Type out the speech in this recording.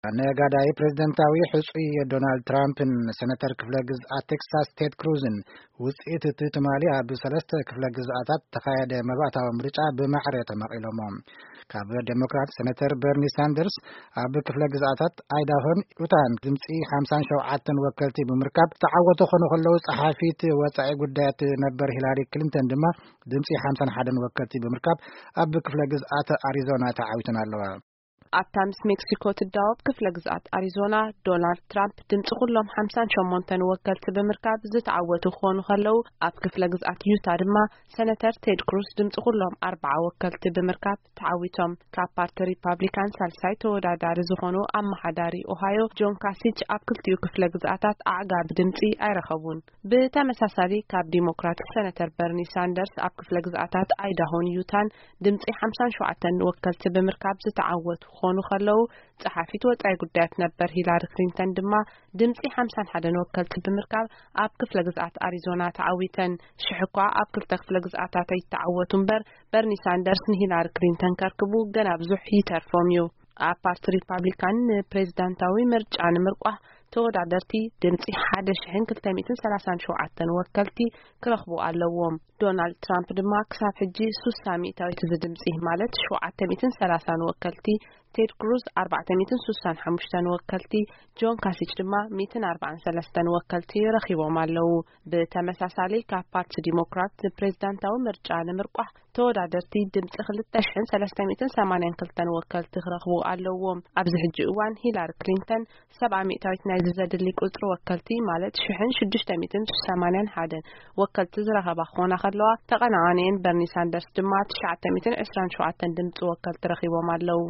ነጋዳይ ፕሬዝደንታዊ ሕጹይ ዶናልድ ትራምፕን ሰነተር ክፍለ ግዝኣት ቴክሳስ ቴድ ክሩዝን ውጽኢት እቲ ትማሊ ኣብ ሰለስተ ክፍለ ግዝኣታት ተኻየደ መባእታዊ ምርጫ ብማዕረ ተማቒሎሞ። ካብ ዴሞክራት ሰነተር በርኒ ሳንደርስ ኣብ ክፍለ ግዝኣታት ኣይዳሆን ዩታን ድምጺ ሓምሳን ሸውዓተን ወከልቲ ብምርካብ ተዓወቱ ክኾኑ ከለዉ፣ ጸሓፊት ወጻኢ ጉዳያት ነበር ሂላሪ ክሊንተን ድማ ድምጺ ሓምሳን ሓደን ወከልቲ ብምርካብ ኣብ ክፍለ ግዝኣት ኣሪዞና ተዓዊተን ኣለዋ። ኣብታ ምስ ሜክሲኮ ትዳወብ ክፍለ ግዝኣት ኣሪዞና፣ ዶናልድ ትራምፕ ድምፂ ኩሎም ሓምሳን ሸሞንተን ወከልቲ ብምርካብ ዝተዓወቱ ክኾኑ ከለዉ፣ ኣብ ክፍለ ግዝኣት ዩታ ድማ ሰነተር ቴድ ክሩዝ ድምፂ ኩሎም ኣርባዓ ወከልቲ ብምርካብ ተዓዊቶም። ካብ ፓርቲ ሪፓብሊካን ሳልሳይ ተወዳዳሪ ዝኾኑ ኣመሓዳሪ ኦሃዮ ጆን ካሲች ኣብ ክልቲኡ ክፍለ ግዝኣታት ኣዕጋቢ ድምፂ ኣይረኸቡን። ብተመሳሳሊ ካብ ዲሞክራቲክ ሰነተር በርኒ ሳንደርስ ኣብ ክፍለ ግዝኣታት ኣይዳሆን ዩታን ድምፂ ሓምሳን ሸውዓተን ወከልቲ ብምርካብ ዝተዓወቱ ክኾኑ ከለዉ፣ ጸሓፊት ወጻኢ ጉዳያት ነበር ሂላሪ ክሊንተን ድማ ድምፂ ሓምሳን ሓደን ወከልቲ ብምርካብ ኣብ ክፍለ ግዝኣት ኣሪዞና ተዓዊተን። ሽሕ እኳ ኣብ ክልተ ክፍለ ግዝኣታት ኣይተዓወቱ እምበር፣ በርኒ ሳንደርስ ንሂላሪ ክሊንተን ከርክቡ ገና ብዙሕ ይተርፎም እዩ። ኣብ ፓርቲ ሪፓብሊካን ንፕሬዝዳንታዊ ምርጫ ንምርቋሕ ተወዳደርቲ ድምፂ ሓደ ሽሕን ክልተ ሚእትን ሰላሳን ሸውዓተን ወከልቲ ክረኽቡ ኣለዎም። ዶናልድ ትራምፕ ድማ ክሳብ ሕጂ ሱሳ ሚእታዊት እዚ ድምፂ፣ ማለት ሸውዓተ ሚእትን ሰላሳን ወከልቲ፣ ቴድ ክሩዝ ኣርባዕተ ሚእትን ሱሳን ሓሙሽተን ወከልቲ፣ ጆን ካሲች ድማ ሚእትን ኣርባዓን ሰለስተን ወከልቲ ረኺቦም ኣለዉ። ብተመሳሳሊ ካብ ፓርቲ ዲሞክራት ፕሬዝዳንታዊ ምርጫ ንምርቋሕ ተወዳደርቲ ድምፂ ክልተ ሽሕን ሰለስተ ሚእትን ሰማንያን ክልተን ወከልቲ ክረኽቡ ኣለዎም። ኣብዚ ሕጂ እዋን ሂላሪ ክሊንተን ሰብዓ ሚእታዊት ናይዚ ዘድሊ ቁጽሪ ወከልቲ፣ ማለት ሽሕን ሽዱሽተ ሚእትን ሰማንያን ሓደን ወከልቲ ዝረኸባ ክኾና ከለዋ፣ ተቐናቓኒኤን በርኒ ሳንደርስ ድማ ትሽዓተ ሚእትን ዕስራን ሸውዓተን ድምፂ ወከልቲ ረኺቦም ኣለዉ።